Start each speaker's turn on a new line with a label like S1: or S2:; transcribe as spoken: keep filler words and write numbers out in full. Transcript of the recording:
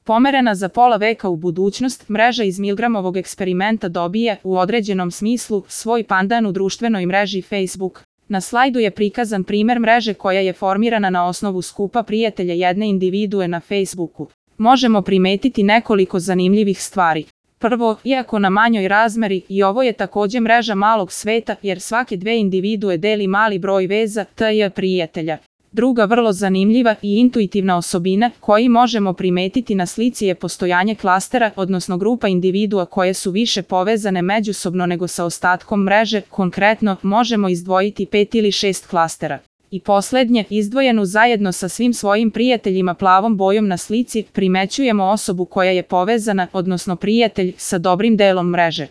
S1: Pomerena za pola veka u budućnost, mreža iz Milgramovog eksperimenta dobije, u određenom smislu, svoj pandan u društvenoj mreži Facebook. Na slajdu je prikazan primer mreže koja je formirana na osnovu skupa prijatelja jedne individue na Facebooku. Možemo primetiti nekoliko zanimljivih stvari. Prvo, iako na manjoj razmeri, i ovo je također mreža malog sveta, jer svake dve individue deli mali broj veza, tj. prijatelja. Druga vrlo zanimljiva i intuitivna osobina koju možemo primetiti na slici je postojanje klastera, odnosno grupa individua koje su više povezane međusobno nego sa ostatkom mreže, konkretno možemo izdvojiti pet ili šest klastera. I posljednje, izdvojenu zajedno sa svim svojim prijateljima plavom bojom na slici, primećujemo osobu koja je povezana, odnosno prijatelj, sa dobrim delom mreže.